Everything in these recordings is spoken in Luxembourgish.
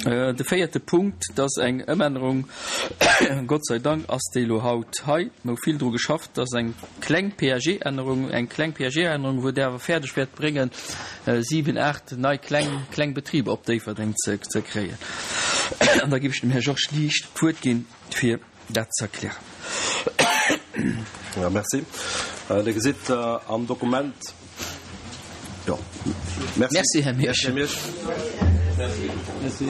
De véierte Punkt, dat ass eng Ëmännerung, Gott sei Dank ass déi elo haut hei, mer hu vill dru geschafft, dat ass eng kleng PAG-Ännerung, eng kleng PAG-Ännerung, wou Der awer fäerdeg wäert bréngen, siwen, aacht nei kleng, kleng Betriber op Déifferdeng ze kréien. An da géif ech dem Här Georges Liesch d'Wuert ginn, fir dat ze erklären. Ja, merci. Dir gesitt am Dokument, jo, merci. Merci, Här Miersch. Merci.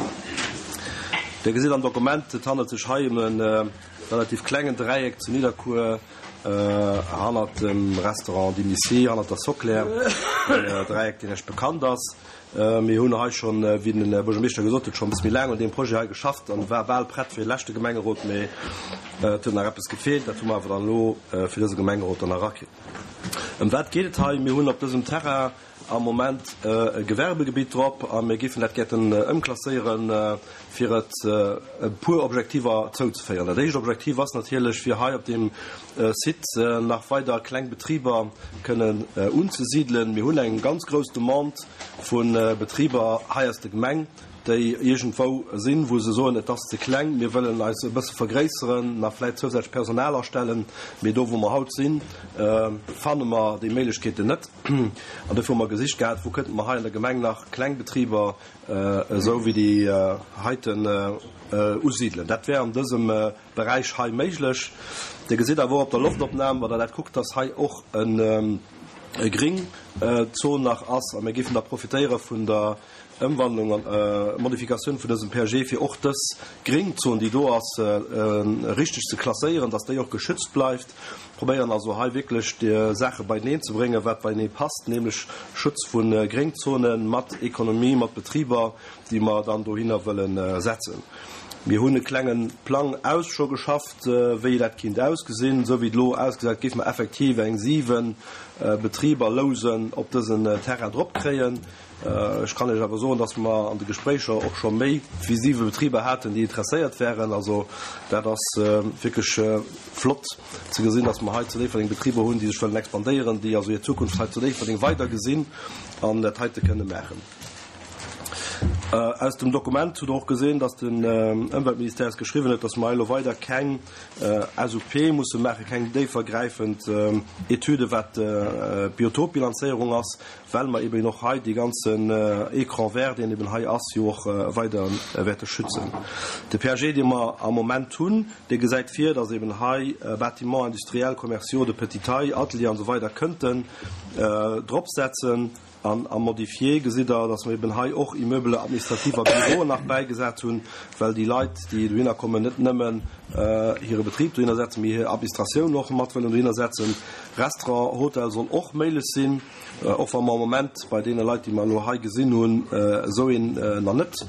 Dir gesitt am Dokument, et handelt sech hei ëm e relativ klengen Dräieck zu Nidderkuer hannert dem Restaurant Dimissy, hannert der Soclair, en Dräieck, deen Iech bekannt ass. Mir hunn hei schonn, wéi den Här Buergermeeschter gesot huet, schonn e bësse méi laang un deem Projet hei geschafft an war bal prett fir de leschte Gemengerot, mee et huet nach eppes gefeelt. Dat hu mer awer dann elo fir dëse Gemengerot dann nach erakritt. Ëm wat geet et hei? Mir hunn op dësem Terrain am Moment e Gewerbegebitt drop a mir géifen dat gäerten ëmklasséieren, fir et e puer Objektiver zouzeféieren. Dat éischt Objektiv ass natierlech, fir hei op deem Site nach weider kleng Betriber kënnen unzesidelen. Mir hunn eng ganz grouss Demande vu Betriber hei aus der Gemeng, déi iergendwou sinn, wou se soen, et ass ze kleng, mir wëllen eis e bësse vergréisseren, nach vläicht zousätzlech Personal astellen, mee do wou mer haut sinn, fanne mer déi Méiglechkeeten net. An dofir hu mer gesicht gehat, wou kënnte mer hei an der Gemeng nach kleng Betriber esou wéi déi heiten usidelen. Dat wär an dësem Beräich hei méiglech. Dir gesitt awer och op der Loftopnam, wann Der dat kuckt, dass hei och e Gringzon nach ass. A mir géifen da profitéiere vun der Ëmwandlung an Modifikatioun vun dësem PAG, fir och dës Gringzon, déi do ass, richteg ze klasséieren, dass déi och geschützt bleift. Probéieren also hei wierklech déi Saache beieneen ze bréngen, wat beienee passt, nämlech Schutz vu Gréngzone mat Ekonomie, mat Betriber, déi mer dann dohinner wëlle setzen. Mir hunn e klenge Plang aus scho geschafft, wéi dat kinnt ausgesinn. Esou wéi et elo ausgesäit, géife mer effektiv eng 7 Betriber lousen op dësen Terrain drop kréien. Ech kann Iech awer soen, dass mer an de Gespréicher och scho méi wéi siwe Betriber haten, déi interesséiert wären. Also dat ass wierklech flott ze gesinn, dass mer hei zu Déifferdeng Betriber hunn, déi sech wëllen expandéieren, déi also hir Zukunft hei zu Déifferdeng weider gesinn an dat heite kënne maachen. Aus dem Dokument hutt Der och gesinn, dass den Ëmweltministère eis geschriwwen huet, dass mer hei elo weider keng SUP musse maachen, keng déifergräifend Etüde wat d'Biotopbilanzéierung ass, well mer eben och hei dee ganzen Écran vert, deen eben hei ass, jo och weider wäerte schützen. De PAG, dee mer am Moment hunn, dee gesäit vir, dass eben hei Bâtiments industriels, commerciaux de petite taille, Atelieren an esou weider kënnten dropsetzen. An am Modifié gesitt Der, dass mer eben hei och Immeubles administratifs a Büroen nach bäigesat hunn, well déi Leit, déi dohinner kommen, net nëmmen hire Betrib dohinner setzen, mee hir Administratioun och mat wëllen dohinner setzen. Restaurant, Hotel soll och méiglech sinn. Och wa mer am Moment bei deene Leit, déi mer elo hei gesinn hunn, esou een nach net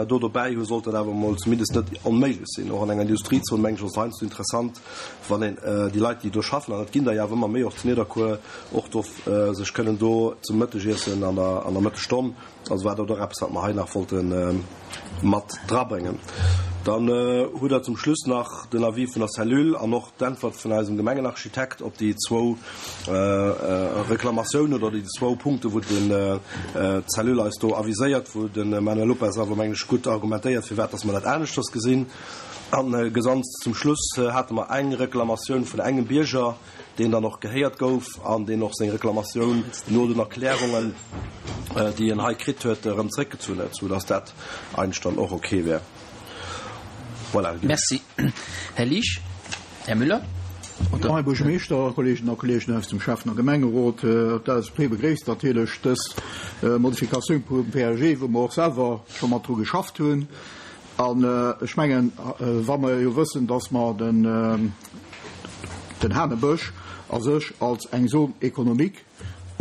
do dobäi hunn, sollt dat awer emol zumindest net onméiglech sinn. Och an enger Industriezon, mengen ech, ass et heiansdo interessant, wann een déi Leit, déi do schaffen, an et ginn der jo awer ëmmer méi och zu Nidderkuer, och do sech kënnen do zum Mëttegiessen an der an der Mëttesstonn, also war dat och eppes, wat mer hei nach wollte mat drabréngen. Dann hutt Der zum Schluss nach den Avis vun der Cellule an och d'Äntwert vun eisem Gemengenarchitekt op déi zwou Reklamatiounen oder déi zwou Punkte wou den d'Cellule eis do aviséiert, wou de Manuel Lopes awer mengen ech gutt argumentéiert firwat dass mer dat aneschters gesinn. A gesanz zum Schluss hate mer eng Reklamatioun vun engem Bierger, deen dann och gehéiert gouf an deen och seng Reklamatioun no den Erklärungen, déi en hei kritt huet, erëm zréckgezunn huet, soudass dat eigentlech dann och ok wär. Voilà. Merci, Här Liesch. Här Müller. Här Buergermeeschter, Kolleeginnen a Kolleegen aus dem Schäffen a Gemengerot, d'LSAP begréisst natierlech dës Modifikatioun vum PAG, wou mer och selwer scho mat dru geschafft hunn. An ech mengen, wa mer jo wëssen, dass mer den Hanebësch a sech als eng Zone économique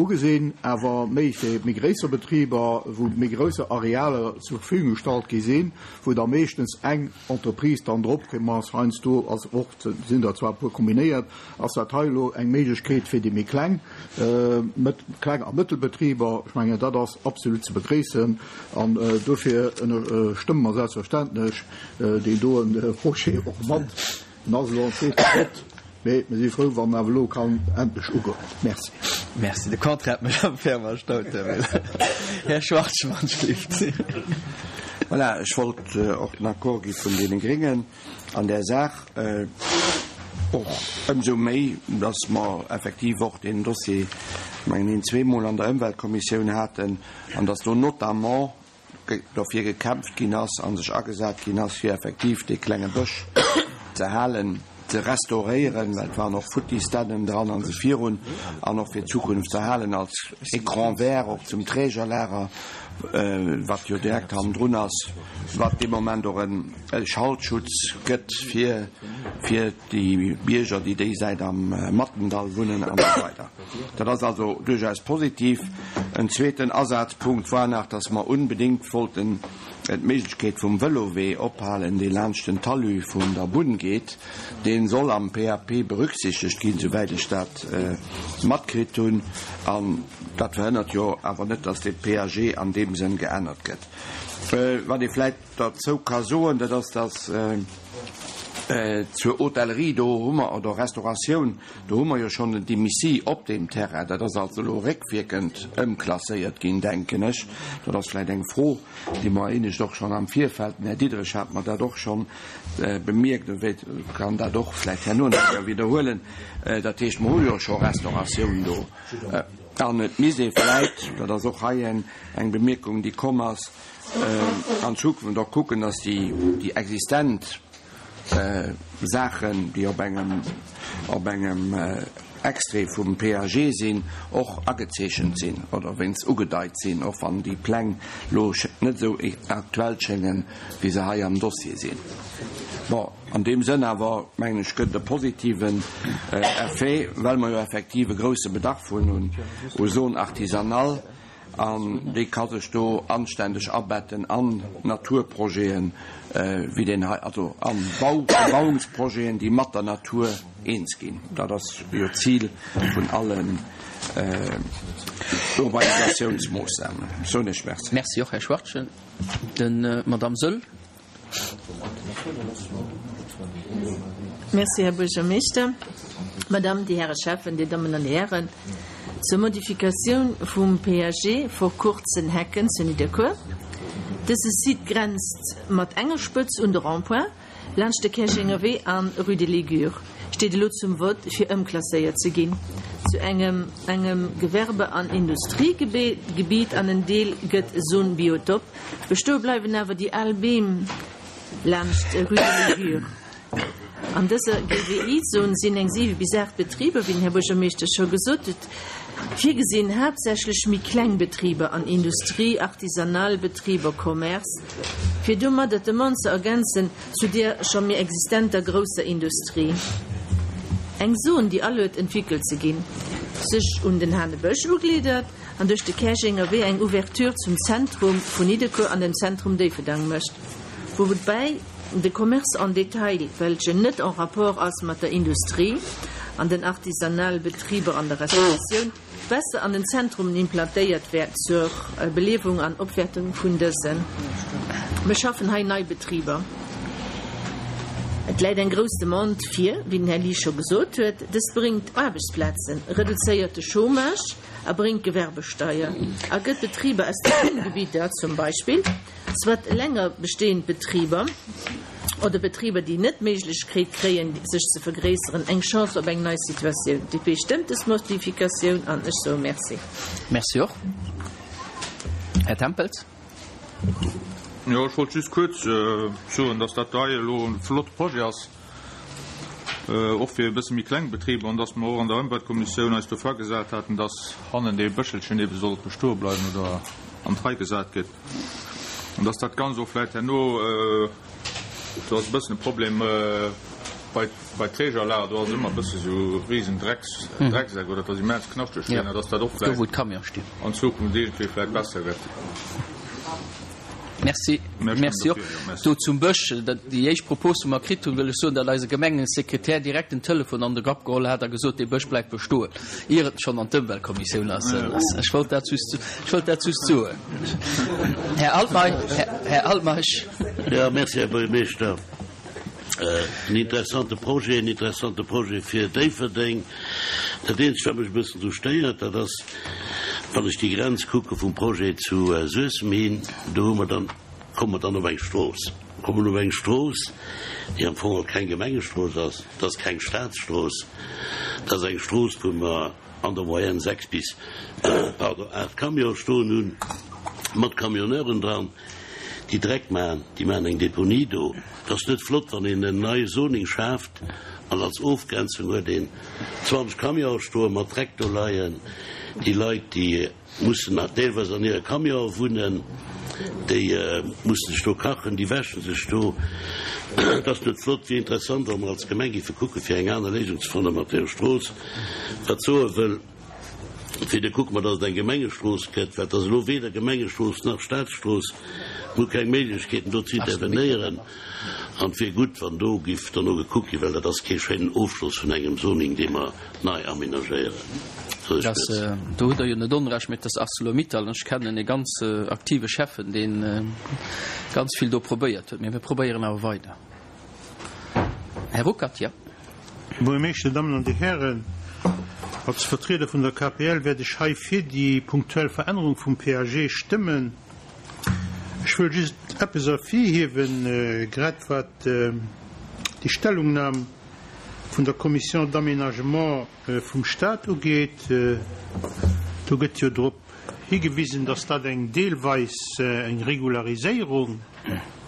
ugesinn, awer méi fir méi gréisser Betriber, wou méi grousser Arealer zur Verfügung gestallt gi sinn, wou da meeschtens eng Entreprise dann drop komm ass, heiansdo ass och, sinn der zwar e puer kombinéiert, ass dat hei elo eng Méiglechkeet fir déi méi kleng, kleng a Mëttelbetriber. Ech mengen, dat ass absolut ze begréissen an dofir ënnerstëmme mer selbstverständlech deen doen Projet och mat. En ass elo an zweeter Schrëtt, mee mir si frou, wann en awer elo kann endlech ugoen. Merci. Merci. De Contraire huet mech am ferm erstaunt, Här Müller. Här Schwarzmann, schléift. Voilà, ech wollt och den Accord gi vun deene Gréngen an där Saach, och ëmsou méi, dass mer effektiv och deen Dossier, mengen een, zweemol an der Ëmweltkommissioun haten an dass do notamment dofir gekämpft ginn ass a sech agesat ginn ass, fir effektiv dee klenge Bësch ze halen, ze restauréieren, well et waren och futtis Dännen dran an esou virun, an och fir d'Zukunft ze halen als Écran vert och zum Trägerlager, wat jo direkt hannendrun ass, wat dee Moment och e Schaltschutz gëtt fir fir déi Bierger, déi déi Säit am Mattendall wunnen an esou weider. Dat ass also duerchaus positiv. En zweeten Asazpunkt war nach, dass mer unbedéngt wollten d'Méiglechkeet vum Vëlowee ophalen, dee laanscht den Talus vun der Bunn geet. Dee soll am PAP berücksichtegt ginn, souwäit ech dat matkritt hunn. An dat verhënnert jo awer net, dass de PAG an deem Sënn geännert gëtt. Wat ee vläicht derzou ka soen, dat ass, dass zur Hotellerie, do hu mer, oder Restauratioun, do hu mer jo schonn en Dimmissi op deem Terrain. Dat ass also elo réckwierkend ëmklasséiert ginn, denken ech. Dat ass vläicht eng Fro, déi mer éinescht och schonn am Virfeld, den Här Diderich hat mer dat och schonn bemierkt, e wéit kann dat och vläicht herno nach eng Kéier widderhuelen. Dat heescht, mer hu jo scho Restauratioun do. An et misst ee vläicht, dat ass och hei eng Bemierkung, déi komm ass, an Zukunft och kucken, dass déi existent Saachen, déi op engem, op engem Extrait vum PAG sinn, och agezeechent sinn oder wéinst ugedeit sinn, och wann déi Pläng elo net esou aktuell schéngen, wéi se hei am Dossier sinn. Bon, an deem Sënn awer, mengen ech, gëtt et e positiven Effet, well mer jo effektiv e grouse Bedarf hunn u Zone artisanale. An déi ka sech do anständeg abetten an Naturprojeten, wéi deen hei, also a Bau, Bebauungsprojeten, déi mat der Natur eens ginn. Dat ass jo d'Zil vun allen Urbanisatiounsmoossnamen. Soen ech Merci. Merci och, Här Schwachtgen. Den Madamm Söll. Merci, Här Buergermeeschter. Madame, Dir Häre Schäffen, Dir Dammen an Dir Hären, zur Modifikatioun vum PAG Vor Kurzen Hecken zu Nidderkuer. Dëse Site grenzt mat enger Spëtz un de Rond-point laanscht de Käerjenger Wee an Rue de Ligure. Steet elo zum Vott fir ëmklasséiert ze ginn zu engem engem Gewerbe an Industriegebiet an en Deel gëtt Zone Biotop. Bestoe bleiwen awer déi al Beem laanscht Rue de Ligure. An dëser GWI-Zon sinn eng 7 bis 8 Betriber, wéi den Här Buergermeeschter scho gesot huet, virgesinn, haaptsächlech méi kleng Betriber an Industrie, artisanal Betriber, Commerce, fir domadder d'Demande ze ergänzen zu där scho méi existenter grousser Industrie. Eng Zon, déi aluet entwickelt ze ginn, sech un den Hanebësch ugliddert an duerch de Käerjenger Wee eng Ouverture zum Zentrum vun Nidderkuer an dem Zentrum Déifferdang mécht, woubäi de Commerce en détail, welchen net en rapport ass mat der Industrie an den artisanale Betriber an der Restauratioun, besser an den Zentrumen implantéiert wäert zur Beliewung an Opwäertung vun dësen. Mir schaffen hei nei Betriber. Et läit eng grouss Demande vir, wéi den Här Lies scho gesot huet. Dëst bréngt Aarbechtsplazen, reduzéiert de Chômage a bréngt Gewerbesteier a gëtt Betriber aus de Wunngebidder zum Beispill, soit länger bestehend Betriber oder Betriber, déi net d'Méiglechkeet kréien, sech ze vergréisseren, eng Chance op eng nei Situatioun. D'DP stëmmt des Modifikatioun an ech soe Merci. Merci och. Här Tempels. Jo, ech wollt just kuerz soen, dass dat hei elo e flotte Projet ass, och fir e bësse méi kleng Betriber, an dass mer och an der Ëmweltkommissioun eis dofir agesat haten, dass hannen dee Bëschelchen ebe sollt bestoe bleiwen oder an d'Rei gesat gëtt. An dass dat Ganzt och vläicht herno, do ass e bëssen e Problem bei, bei Trägerlager, do ass ëmmer e bësse sou risen Drecks, Drecksäck oder et ass immens knaschteg ginn, a dass dat och Do wou d'Camionen stinn. an Zukunft iergendwéi vläicht besser gëtt. Merci. Merci och. Do zum Bësch, déi éischt Propos, wou mer kritt hunn, wëll ech soen, datt eise Gemengesekretär direkt den Telefon an de Grapp geholl hat a gesot, dee Bësch bleift bestoen, ier et schonn an d'Ëmweltkommissioun ass. Ech wollt dat just, ech wollt dat just soen. Här Altmeisch. Här Altmeisch. Jo, merci, Här Buergermeeschter. En interessante Projet, en interessante Projet fir Déifferdeng. Dat eenzegt, wat mech e bëssen dru stéiert, dat ass, wann ech déi Grenz kucke vum Projet zu Suessem hin, do hu mer dann. Komme mer dann op eng Strooss. Komme mer op eng Strooss, déi am Fong och keng Gemengestrooss ass. Dat ass keng Staatsstrooss. Dat ass eng Strooss, wou mer an der Moyenne 6 bis, pardon, 8 Camionen stoen hunn, mat Camionneuren dran, déi Dreck maachen. Déi maachen eng Deponie do. Et ass net flott, wann een en neie Zoning schaaft an als Ofgrenzung huet een 20 Camionen stoen, mat Dreck do leien. Déi Leit, déi mussen nach deelweis an hire Camionen wunnen, déi mussen sech do kachen, déi wäsche sech do. Et ass net flott. Wier interessant, wa mer als Gemeng géife kucken, fir eng aner Léisung ze fanne mat deer Strooss. Wat soe wëll, fir da kucke mer, datt et eng Gemengestrooss gëtt, well et ass elo weder Gemengestrooss nach Staatsstrooss. Mir hu keng Méiglechkeeten, do ze intervenéieren. An et wier gutt, wann do giff derno gekuckt ginn, well dat ass kee schéinen Ofschloss vun engem Zoning, dee mer nei amenagéieren. Dass, do hutt Der jo net Onrecht, mä et ass Arcelor-Mittal an ech kennen e ganz aktive Schäffen, dee ganz vill do probéiert huet. Mä mir probéieren awer weider. Här Ruckert, jo. Här Buergermeeschter, Dir Dammen an Dir Hären, als Vertrieder vun der KPL wäert ech hei fir déi punktuell Verännerung vum PAG stëmmen. Ech wëll just eppes ervirhiewen, grad wat déi Stellungnam vun der Commission d'aménagement vum Stat ugeet. Do gëtt jo drop higewisen, dass dat eng deelweis eng Regulariséierung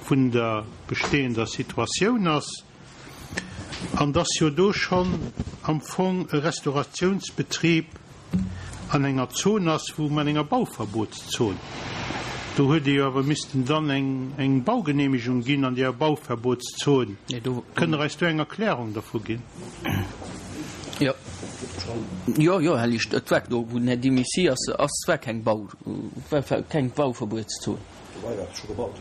vun der bestehender Situatioun ass an dass jo do schonn am Fong e Restaurationsbetrib an enger Zon ass, wou an enger Bauverbotszon, do huet ee jo awer missten dann eng Baugenehmegung ginn an deeër Bauverbotszon. Kënnt Der eis do eng Erklärung dervu ginn? Jo, jo, jo, Här Licht, et war do, wou den Här Dimici ass, ass war keng Bau, war keng Bauverbuetszon.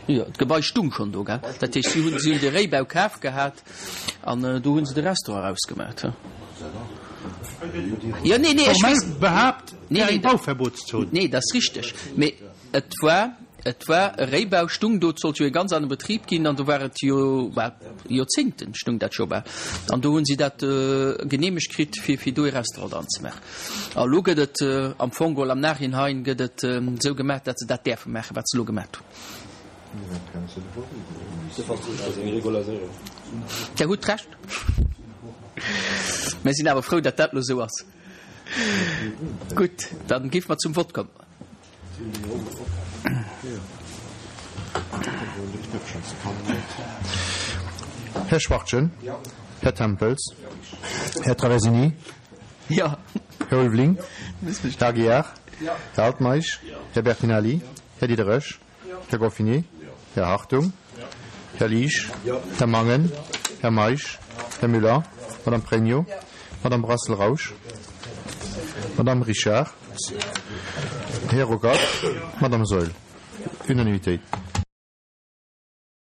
Jo, d'Gebai stung schonn do, gell? Dat heescht, si hunn, si hunn de Réibau kaf gehat an do hu se de Restaurant erausgemaach. Jo, nee, nee, ech weess. Formell behaapt, et wär eng Bauverbotszon. Nee, dat ass richteg, mee et war, et war e Réibau, stung do, et sollt jo e ganz anere Betrib ginn an do war et jo, well Joerzéngten stung dat scho bal an do hu si dat geneemegt kritt, fir, fir do e Restaurant dran ze maachen. A elo gëtt et am Fong geholl am Nachhinein gëtt et esou gemaach, datt se dat däerfe maachen, wat se elo gemaach hunn. Dir hutt Recht. Mir sinn awer frou, datt dat elo esou ass. Gutt, da géife mer zum Vott kommen. Här Schwachtgen, Här Tempels, Här Traversini, Här Ulveling, Här Aguiar, Här Altmeisch, Här Bertinelli, Här Diderich, Här Goffinet, Här Hartung, Här Liesch, Här Mangen, Här Meisch, Här Muller, Madame Pregno, Madame Brassel-Rausch, Madame Richard, Här Ruckert, Madame Saeul. Unanimitéit.